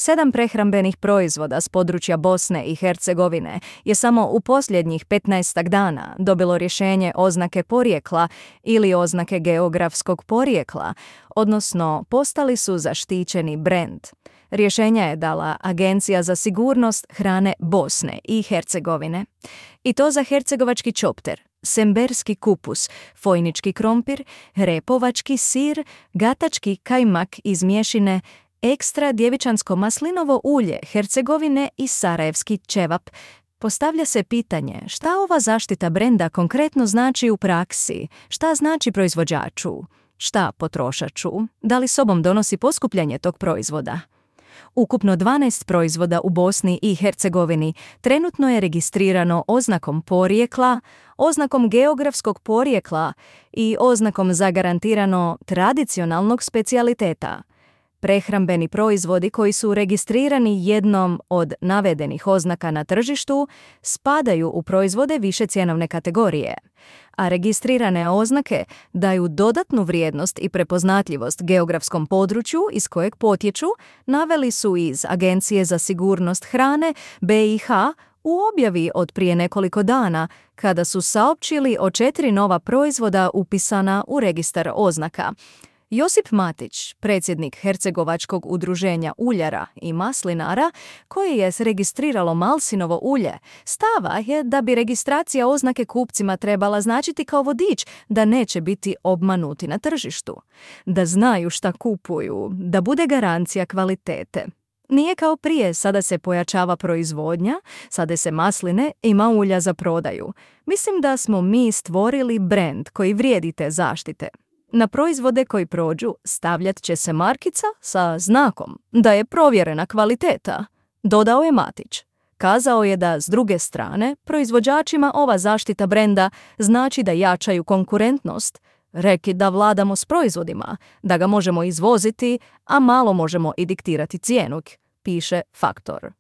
7 prehrambenih proizvoda s područja Bosne i Hercegovine je samo u posljednjih 15 dana dobilo rješenje oznake porijekla ili oznake geografskog porijekla, odnosno postali su zaštićeni brend. Rješenja je dala Agencija za sigurnost hrane Bosne i Hercegovine. I to za hercegovački čopter, semberski kupus, fojnički krompir, repovački sir, gatački kajmak iz mješine, ekstra djevičansko maslinovo ulje Hercegovine i sarajevski ćevap. Postavlja se pitanje šta ova zaštita brenda konkretno znači u praksi, šta znači proizvođaču, šta potrošaču, da li sobom donosi poskupljanje tog proizvoda. Ukupno 12 proizvoda u Bosni i Hercegovini trenutno je registrirano oznakom porijekla, oznakom geografskog porijekla i oznakom zagarantirano tradicionalnog specijaliteta. Prehrambeni proizvodi koji su registrirani jednom od navedenih oznaka na tržištu spadaju u proizvode više cjenovne kategorije, a registrirane oznake daju dodatnu vrijednost i prepoznatljivost geografskom području iz kojeg potječu, naveli su iz Agencije za sigurnost hrane BiH u objavi od prije nekoliko dana, kada su saopćili o 4 nova proizvoda upisana u registar oznaka. Josip Matić, predsjednik Hercegovačkog udruženja uljara i maslinara, koji je registriralo malsinovo ulje, stava je da bi registracija oznake kupcima trebala značiti kao vodič da neće biti obmanuti na tržištu, da znaju šta kupuju, da bude garancija kvalitete. Nije kao prije, sada se pojačava proizvodnja, sada se masline ima ulja za prodaju. Mislim da smo mi stvorili brend koji vrijedi te zaštite. Na proizvode koji prođu stavljat će se markica sa znakom da je provjerena kvaliteta, dodao je Matić. Kazao je da, s druge strane, proizvođačima ova zaštita brenda znači da jačaju konkurentnost, reki da vladamo s proizvodima, da ga možemo izvoziti, a malo možemo i diktirati cijenu, piše Faktor.